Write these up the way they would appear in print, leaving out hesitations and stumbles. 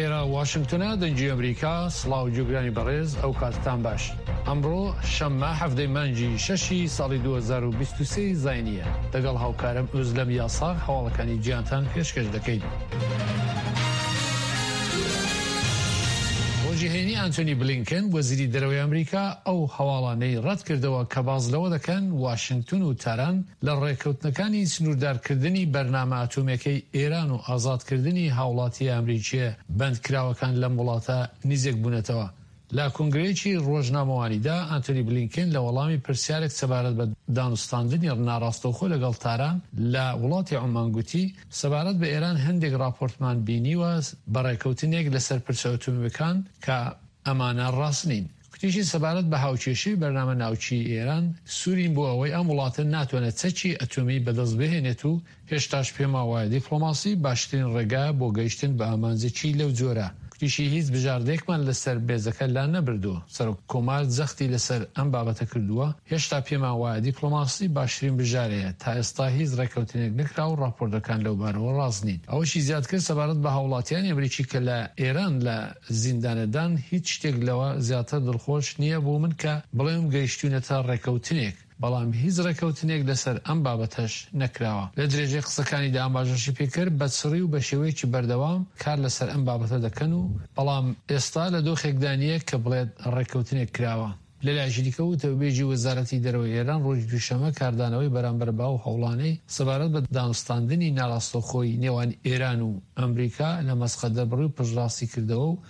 ئێرە واشنگتنە دەنگی ئەمریکا سڵاو گوێگرانی بەڕێز ئەو کاتتان باش ئەمڕۆ شەممە حەڤدەی مانگی شەشی ساڵی 2023 زاینیە دەگەڵ هاوکارم ئۆزلەم یاساغ هەواڵەکانی جیهانتان پێشکەش دەکەین. ڕۆژی هەینی ئانتۆنی بلینکن وەزیری دەرەوەی ئەمریکا ئەو هەواڵانەی ڕەتکردەوە کە باس لەوە دەکەن واشنگتن و تاران لە ڕێککەوتنەکانی سنووردارکردنی بەرنامە ئەتۆمییەکەی ئێران و ئازادکردنی هاوڵاتییە ئەمریکییە بەندکراوەکان لەم وڵاتە نیزێک بوونەتەوە. لە کۆنگرەیەکی ڕۆژنامەوانیدا ئانتۆنی بلینکن لە وەڵامی پرسیارێک سەبارەت بە دانوستاندنی ناڕاستەوخۆ لەگەڵ تاران لە وڵاتی عومان گوتی، سەبارەت بە ئێران هەندێک ڕاپۆرتمان بینیوە بە ڕێککەوتنێک لەسەر پرسە ئەتۆمییەکان کە ئەمانە ڕاست نین. گوتیشی سەبارەت بە هاوکێشەی بەرنامە ناوکیی ئێران، سوورین بۆ ئەوەی ئەم وڵاتە ناتوانێت چەکی ئەتۆمی بەدەست بهێنێت و هێشتاش پێمان وایە دیپڵۆماسی باشترین ڕێگایە بۆ گەیشتن بە ئامانجێکی لەو جۆرە. گوتیشی هیچ بژاردەیەکمان لەسەر مێزەکە لا نەبردووە. سەرۆک کۆمار جەختی لەسەر ئەم بابەتە کردووە، هێشتا پێمان وایە دیپڵۆماسی باشترین بژارەیە، تا ئێستا هیچ ڕێککەوتنێک نەکراوە و ڕاپۆرتەکان لەوبارەوە ڕاست نین. ئەوەشی زیاد کرد سەبارەت بە هاوڵاتیانی ئەمریکی کە لە ئێران لە زیندانەدان هیچ شتێک لەوە زیاتر دڵخۆش نییە بۆ من کە بڵێم گەیشتوینەتە ڕێکەوتنێک، بەڵام هیچ ڕێکەوتنێک لەسەر ئەم بابەتەش نەکراوە. لە درێژەی قسەکانیدا ئاماژەشی پێکرد، بە چڕی و بە شێوەیەکی بەردەوام کار لەسەر ئەم بابەتە دەکەن و بەڵام ئێستا لە دۆخێکدا نییە کە بڵێت ڕێککەوتنێک کراوە. لەلایەکی دیکەوە وتەوبێژی وەزارەتی دەرەوەی ئێران ڕۆژی دووشەممە کاردانەوەی بەرامبەر بەو هەوڵانەی سەبارەت بە دانوستاندنی ناڕاستەوخۆی نێوان ئێران و ئەمریکا لە مەسقەت دەربڕی و پشتڕاستی کردەوە و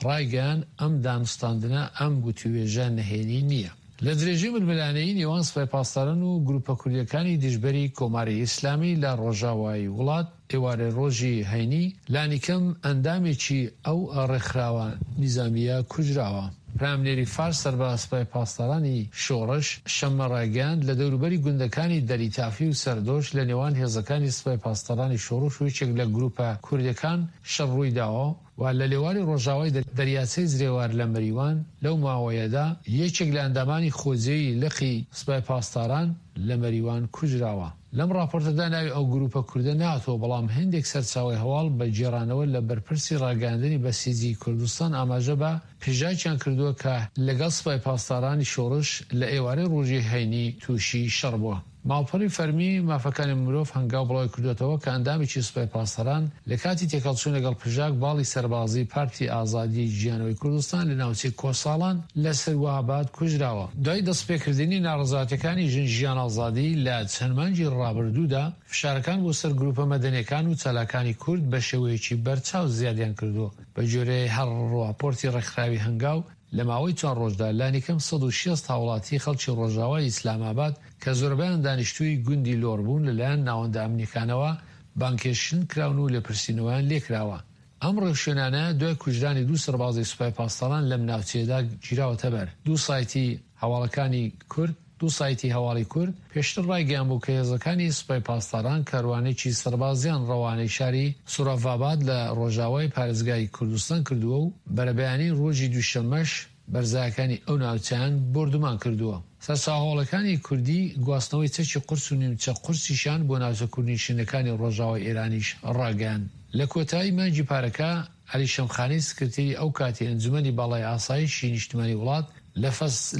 ڕایگەیاند ئەم دانوستاندنە ئەم گوتووێژە نهێنی نییە. لە درێژەی ململانێی نێوان سپای پاسداران و گرووپە کوردییەکانی دژبەری کۆماری ئیسلامی لە ڕۆژاوای وڵات، ئێوارەی ڕۆژی هەینی لانیکەم ئەندامێکی ئەو ڕێکخراوە نیزامییە کوژراوە. پەیامنێری فارس سەر بە سپای پاسدارانی شۆڕش، شەممە ڕایگەیاند، لە دەوروبەری گوندەکانی دەریتافی و سەردۆش لە نێوان هێزەکانی سپای پاسدارانی شۆڕش و یەکێک لە گرووپە کوردییەکان شەڕ ڕووی داوە و لە لێواری ڕۆژاوای دەریاچەی زرێوار لە مەریوان لەو ماوەیەدا یەکێک لە ئەندامانی خۆجێی لقی سپای پاسداران لە مەریوان کوژراوە. لەم ڕاپۆرتەدا ناوی ئەو گرووپە کوردە نەهاتووە، بەڵام هێندێک سەرچاوەی هەواڵ بە گێڕانەوە لە بەرپرسی ڕاگەیاندنی بەسیجی کوردستان ئاماژە بە پژاکیان کردووە کە لەگەڵ سپای پاسدارانی شۆڕش لە ئێوارەی ڕۆژی هەینی تووشی شەڕ بووە. ماڵپەڕی فەرمی مافەکانی مرۆڤ هەنگاو بڵاوی کردووەتەوە کە ئەندامێکی سوپای پاسداران لە کاتی تێکهەڵچوون لەگەڵ پژاک باڵی سەربازیی پارتی ئازادیی جیانەوەی کوردستان لە ناوچەی کۆساڵان لە سرواباد کوژراوە. دوای دەستپێکردنی ناڕەزایەتیەکانی ژن ژیان ئازادی لە چەند مانگی ڕابردوودا، فشارەکان بۆ سەر گروپە مەدەنیەکان و چالاکانی کورد بە شێوەیەکی بەرچاو زیادیان کردووە. بە گوێرەی هەر ڕاپۆرتی ڕێکخراوی هەنگاو، لە ماوەی چوار ڕۆژدا لانیکەم 160 هاوڵاتی خەڵکی ڕۆژاوای ئیسلامئاباد کە زۆربەیان دانیشتووی گوندی لۆر بوون لەلایەن ناوەندە ئەمنیەکانەوە بانگهێشتن کراون و لێپرسینەوەیان لێکراوە. ئەم ڕێوشوێنانە دوای کوژرانی دوو سەربازی سوپای پاسداران لەم ناوچەیەدا گیراوەتەبەر. دوو سایتی هەواڵەکانی کورد دوو سایتی هەواڵی کورد پێشتر ڕایگەیانبوو کە هێزەکانی سوپای پاسداران کاروانێکی سەربازیان ڕەوانەی شاری سوڕاڤاباد لە ڕۆژاوای پارێزگای کوردستان کردووە و بەرەبەیانی ڕۆژی دووشەممەش بەرزایەکانی ئەو ناوچەیان بۆردومان کردووە. سەرچاوە هەواڵەکانی کوردی گواستنەوەی چەکی قورس و نیمچە قورسیشیان بۆ ناوچە کوردنشینەکانی ڕۆژاوای ئێرانیش ڕاگەیاند. لە کۆتایی مانگی پارەکە عەلی شەمخانی سکرتێری ئەو کاتی ئەنجومەنی باڵای ئاسایشی نیشتمانی وڵات لە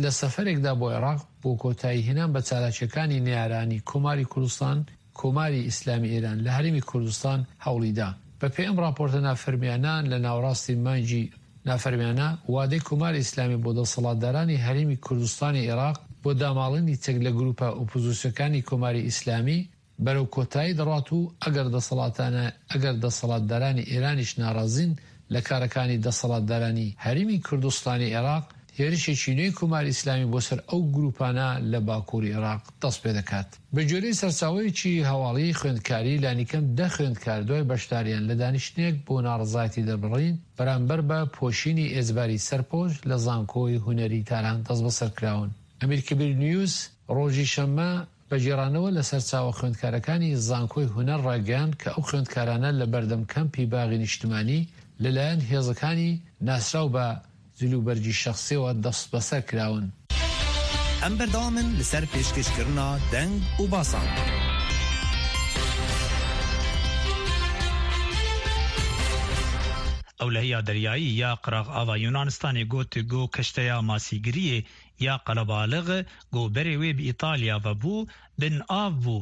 لە سەفەرێکدا بۆ عێراق بۆ کۆتایی هێنان بە چالاکییەکانی نەیارانی کۆماری کوردستان کۆماری ئیسلامی ئێران لە هەرێمی کوردستان هەوڵی دا. بە پێی ئەم ڕاپۆرتە نافەرمیانە لە ناوەڕاستی مانگی نافەرمیانە وادەی کۆماری ئیسلامی بۆ دەسەڵاتدارانی هەرێمی کوردستانی عێراق بۆ داماڵینی چەک لە گرووپە ئۆپۆزیسیۆکانی کۆماری ئیسلامی بەرەو کۆتایی دەڕوات و ئەگەر دەسەڵاتانە ئەگەر دەسەڵاتدارانی ئێرانیش ناڕازین لە کارەکانی دەسەڵاتدارانی هەریمی کوردستانی عێراق، هێرشێکی نوێی کۆماری ئیسلامی بۆ سەر ئەو گرووپانە لە باکووری عێراق دەست پێ دەکات. بە گوێرەی سەرچاوەیەکی هەواڵیی خوێندکاری، لانیکەم دە خوێندکار دوای بەشداریان لە دانیشتنێک بۆ ناڕەزایەتی دەربڕین بەرامبەر بە پۆشینی ئێجباری سەرپۆش لە زانکۆی هونەری تاران دەستبەسەر کراون. ئەمیرکەبیر نیوز ڕۆژی شەممە بە گێڕانەوە لە سەرچاوە خوێندکارەکانی زانکۆی هونەر ڕایگەیاند کە ئەو خوێندکارانە لە بەردەم کەمپی باغی نیشتمانی لە لایەن هێزەکانی ناسراو بە جلوبەرگی شەخسیەوە دەستبەسەر کراون. ئەم بەردەوامن لەسەر پێشکەشکردنا دەنگ و باسان. Ewlehiya deryayî ya qiraxava Yûnanistanê got ku keşteya masîgiriyê ya qelebalix ku berê wê bi Îtalya ve bû, bin av bû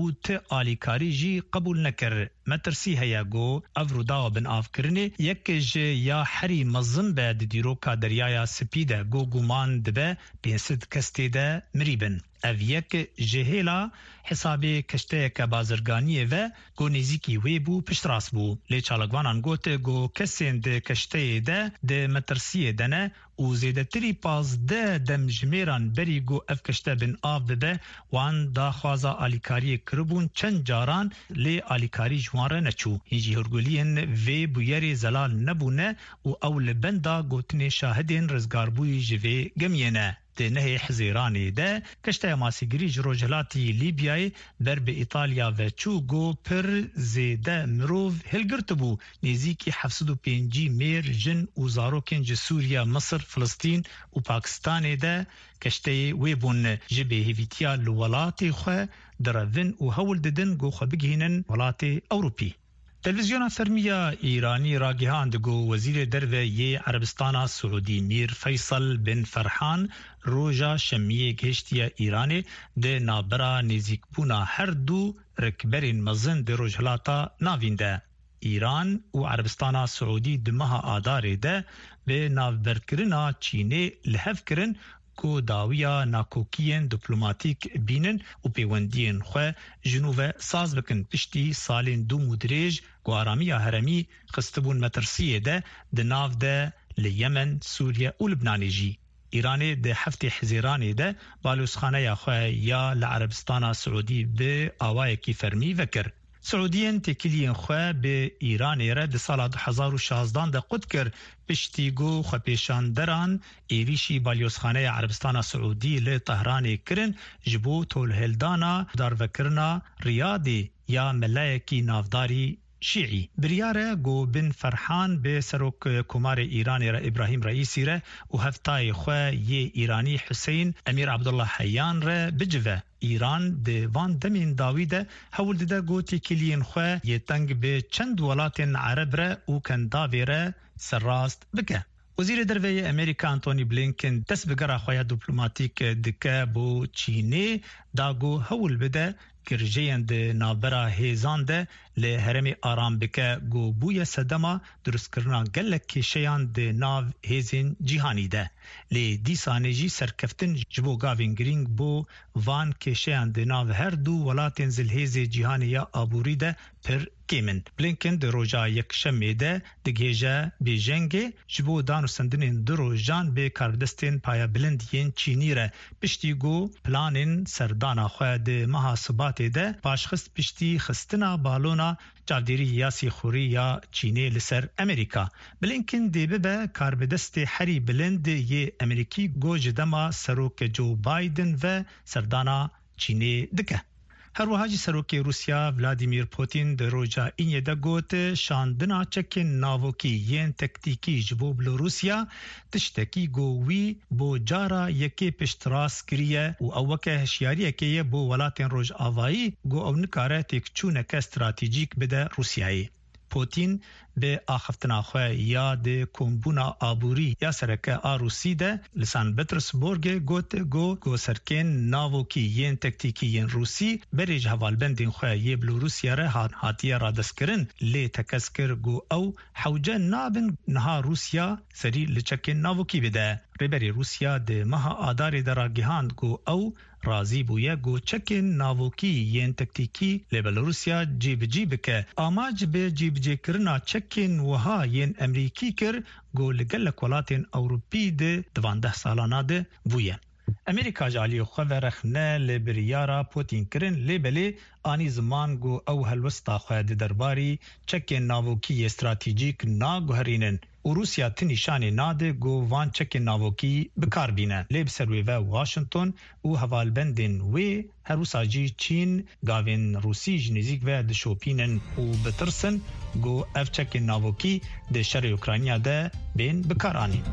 û ti alîkarî jî qebûl nekir. Metirsî heye ku ev rûdawa binavkirinê yek ji ya herî mezin be di dîroka Deryaya Spî de ku guman dibe 500 kes tê de mirî bin. Ev yek ji hêla hesabê keşteyeke bazirganiyê ve ku nêzîkî wê bû piştrast bû. Lê çalakvanan got ku kesên di keşteyê de di metirsiyê de ne û zêdetirî 15 demjimêran berî ku ev keşte bin av bibe wan daxwaza alîkariyê kiribûn çend caran lê alîkarî ji wan re neçû. Hîn jî hûrguliyên vê bûyerê zelal nebûne û ew li benda gotinê şahidên rizgarbûyî ji vê gemiyê ne. Di nehê Hizêranê de keşteya masîgirî ji rojhilatî Lîbyayê ber bi Îtalya ve çû ku pir zêde mirov hilgirtibû, nêzîkî 750 mêr, jin û zarokên ji Sûriye, Misir, Filistîn û Pakistanê de keşteyê wê bûn. Ji bêhêvîtiya li welatê xwe direvin û hewl didin ku xwe bigihînin welatê Ewropî. Televîzyona fermî ya Îranî ragihand ku Wezîrê Derve yê Erebistana Siûdî Mîr Feysel bin Ferhan roja Şemiyê gihiştiye Îranê di navbera nêzîkbûna her du rikberên mezin di Rojhilata Navîn de. Îran û Erebistana Siûdî di meha Adarê de bi navberkirina Çînê li hev kirin ku dawiya nakokiyên diplomatîk bînin û pêwendiyên xwe ji nû ve saz bikin piştî salên dûm û dirêj ku aramiya heremî xistibûn metirsiyê de di nav de li Yemen, Sûriye û Libnanê jî. Îranê di heftê Hizêranê de balozxaneya xwe ya li Erebistana Siûdî bi awayekî fermî vekir. Siûdiyên têkiliyên xwe bi Îranê re di sala 2016 de qut kir piştî ku xwepêşanderan êrîşî balyozxaneya Erebistana Siûdî li Tehranê kirin ji bo tolhildana darvekirina Riyadê ya melayekî navdarî Şîî. Biryar e ku Bin Ferhan bi Serok Komarê Îranê re Îbrahîm Reîsî re û hevtayê xwe yê Îranî Huseyîn Emîr Abdullah Heyan re bicive. Îran di van demên dawî de hewl dide ku têkiliyên xwe yê teng bi çend welatên Ereb re û Kendavê re serrast bike. Wezîrê Derve yê Amerîka Antony Blinken dest bi gera xwe ya diplomatîk dike bo Çînê da ku hewl bide girjeyên di navbera hêzan de li herêmê aram bike ku bûye sedema dirustkirina gelek kêşeyan di nav hêzên cîhanî de. Lê dîsanê jî serkeftin ji bo gavên girîng bo van kêşeyan di nav her du welatên zilhêzê cîhanê ya aborî de pir kêm in. Blinken di roja Yekşemê de digihêje Bêjengê ji bo danûstendinên du rojan bi karbidestên payebilind yên Çînî re piştî ku planên serdana xwe di meha Sibatê de paşxist piştî xistina balona çavdêrî ya sîxurî ya Çînê li ser Amerîka. Blinken dê bibe karbidestê herî bilind yê Amerîkî ku ji dema Serok Joe Biden ve serdana Çînê dike. Her wiha jî Serokê Rûsya Vladimir Putin di roja Înê de got, şandina çekên navokî yên tektîkî ji bo Belorûsya tiştekî ku wî bo cara yekê piştrast kiriye û ew weke hişyariyekê ye bo welatên rojavayî ku ew nikare têkçûneke stratejîk bide Rûsyayê. Putin bi axaftina xwe ya di kombûna aborî ya sereke a Rûsî de li San Petersburgê got ku goserkên navokî yên tektîkî yên Rûsî berê ji hevalbendên xwe yê Belorûsya re hatiye radestkirin lê tekez kir ku ew hewce nabin niha Rûsya serî li çekên navokî bide. Rêberê Rûsya di meha Adarê de ragihand ku ew razî bûye ku çekên navokî yên tektîkî li Belorûsya cîbicî bike. Amac bi cîbicîkirina çekên wiha yên Emrîkî kir ku li gelek welatên Ewropî di di van deh salana de bûye. Amerîka ji aliyê xwe ve rexne li biryara Putîn kirin lê belê anî ziman ku ew helwesta xwe di derbarî çekên navokî yê stratejîk naguherînin. Û Rûsya ti nîşanê nade ku van çekên navokî bi kar bîne. Lê bi ser wê ve Washington û hevalbendên wê her wisa jî Çîn gavên Rûsî ji nêzîk ve dişopînin û bitirsin ku ev çekên navokî di şerê Ukrayna de bên bikaranîn.